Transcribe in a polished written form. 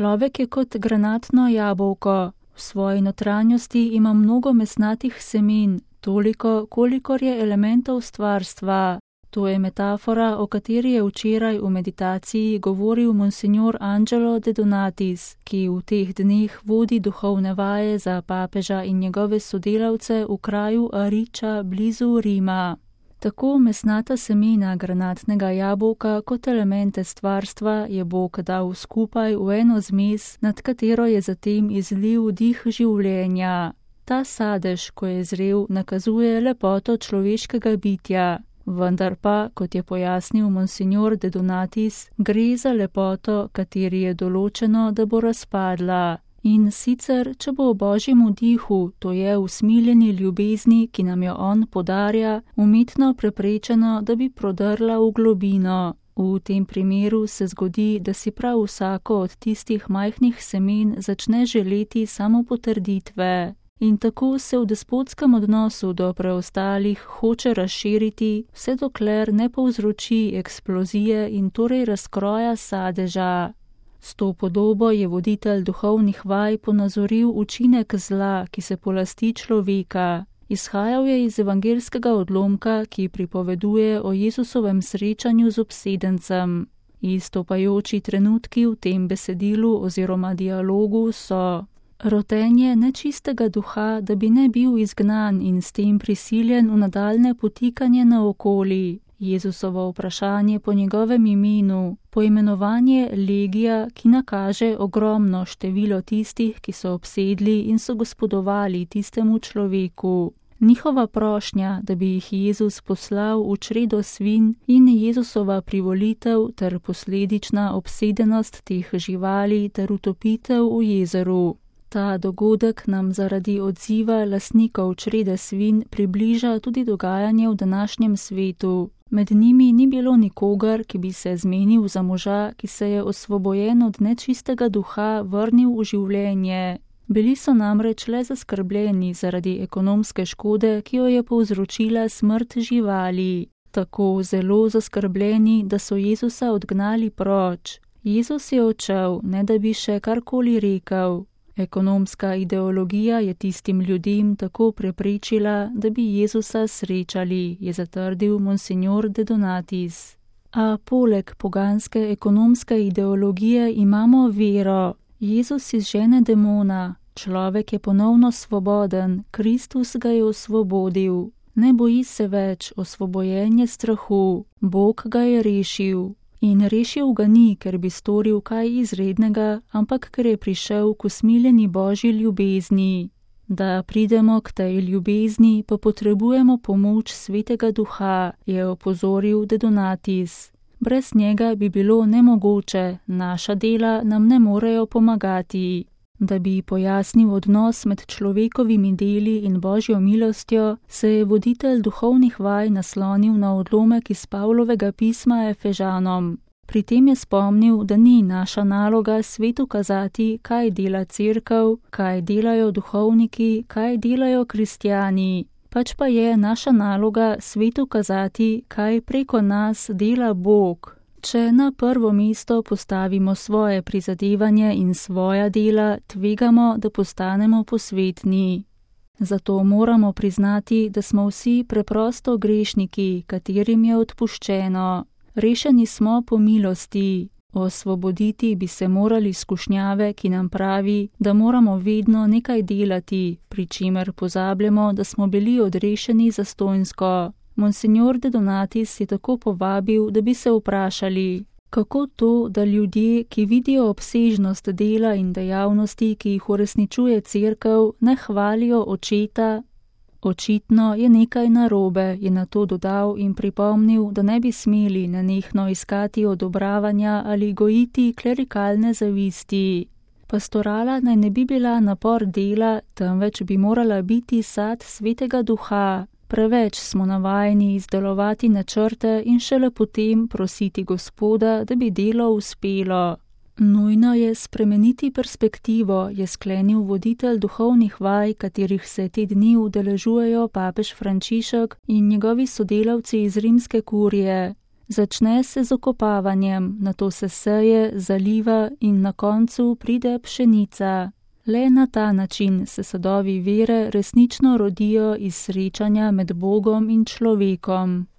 Človek je kot granatno jabolko. V svoji notranjosti ima mnogo mesnatih semen, toliko, kolikor je elementov stvarstva. To je metafora, o kateri je včeraj v meditaciji govoril monsignor Angelo de Donatis, ki v teh dneh vodi duhovne vaje za papeža in njegove sodelavce v kraju Ariča blizu Rima. Tako mesnata semena granatnega jabolka kot elemente stvarstva je Bog dal skupaj v eno zmes, nad katero je zatem izlil dih življenja. Ta sadež, ko je zrel, nakazuje lepoto človeškega bitja. Vendar pa, kot je pojasnil monsignor de Donatis, gre za lepoto, kateri je določeno, da bo razpadla. In sicer, če bo v Božjem dihu, to je v smiljeni ljubezni, ki nam jo on podarja, umetno preprečeno, da bi prodrla v globino. V tem primeru se zgodi, da si prav vsako od tistih majhnih semen začne želeti samopotrditve. In tako se v despotskem odnosu do preostalih hoče razširiti, vse dokler ne povzroči eksplozije in torej razkroja sadeža. S to podobo je voditelj duhovnih vaj ponazoril učinek zla, ki se polasti človeka. Izhajal je iz evangelskega odlomka, ki pripoveduje o Jezusovem srečanju z obsedencem. Izstopajoči trenutki v tem besedilu oziroma dialogu so: rotenje nečistega duha, da bi ne bil izgnan in s tem prisiljen v nadaljne potikanje naokoli, Jezusovo vprašanje po njegovem imenu, poimenovanje legija, ki nakaže ogromno število tistih, ki so obsedli in so gospodovali tistemu človeku. Njihova prošnja, da bi jih Jezus poslal v čredo svinj in Jezusova privolitev ter posledična obsedenost teh živali ter utopitev v jezeru. Ta dogodek nam zaradi odziva lastnikov črede svinj približa tudi dogajanje v današnjem svetu. Med njimi ni bilo nikogar, ki bi se zmenil za moža, ki se je osvobojen od nečistega duha vrnil v življenje. Bili so namreč le zaskrbljeni zaradi ekonomske škode, ki jo je povzročila smrt živali. Tako zelo zaskrbljeni, da so Jezusa odgnali proč. Jezus je odšel, ne da bi še karkoli rekel. Ekonomska ideologija je tistim ljudem tako preprečila, da bi Jezusa srečali, je zatrdil monsignor de Donatis. A poleg poganske ekonomske ideologije imamo vero. Jezus izžene demona, človek je ponovno svoboden, Kristus ga je osvobodil. Ne boji se več, osvobojen je strahu, Bog ga je rešil. In rešil ga ni, ker bi storil kaj izrednega, ampak ker je prišel k usmiljeni Božji ljubezni. Da pridemo k tej ljubezni, pa potrebujemo pomoč Svetega Duha, je opozoril de Donatis. Brez njega bi bilo nemogoče, naša dela nam ne morejo pomagati. Da bi pojasnil odnos med človekovimi deli in Božjo milostjo, se je voditelj duhovnih vaj naslonil na odlomek iz Pavlovega pisma Efežanom. Pri tem je spomnil, da ni naša naloga svetu kazati, kaj dela cerkev, kaj delajo duhovniki, kaj delajo kristjani. Pač pa je naša naloga svetu kazati, kaj preko nas dela Bog. Če na prvo mesto postavimo svoje prizadevanje in svoja dela, tvegamo, da postanemo posvetni. Zato moramo priznati, da smo vsi preprosto grešniki, katerim je odpuščeno. Rešeni smo po milosti. Osvoboditi bi se morali skušnjave, ki nam pravi, da moramo vedno nekaj delati, pri čemer pozabljamo, da smo bili odrešeni zastonjsko. Monsignor de Donatis je tako povabil, da bi se vprašali, kako to, da ljudje, ki vidijo obsežnost dela in dejavnosti, ki jih uresničuje cerkev, ne hvalijo očeta. Očitno je nekaj narobe, je nato dodal in pripomnil, da ne bi smeli nenehno iskati odobravanja ali gojiti klerikalne zavisti. Pastorala naj ne bi bila napor dela, temveč bi morala biti sad Svetega Duha. Preveč smo navajeni izdelovati načrte in šele potem prositi Gospoda, da bi delo uspelo. Nujno je spremeniti perspektivo, je sklenil voditelj duhovnih vaj, katerih se te dni udeležujejo papež Frančišek in njegovi sodelavci iz rimske kurije. Začne se z okopavanjem, nato se seje, zaliva in na koncu pride pšenica. Le na ta način se sadovi vere resnično rodijo iz srečanja med Bogom in človekom.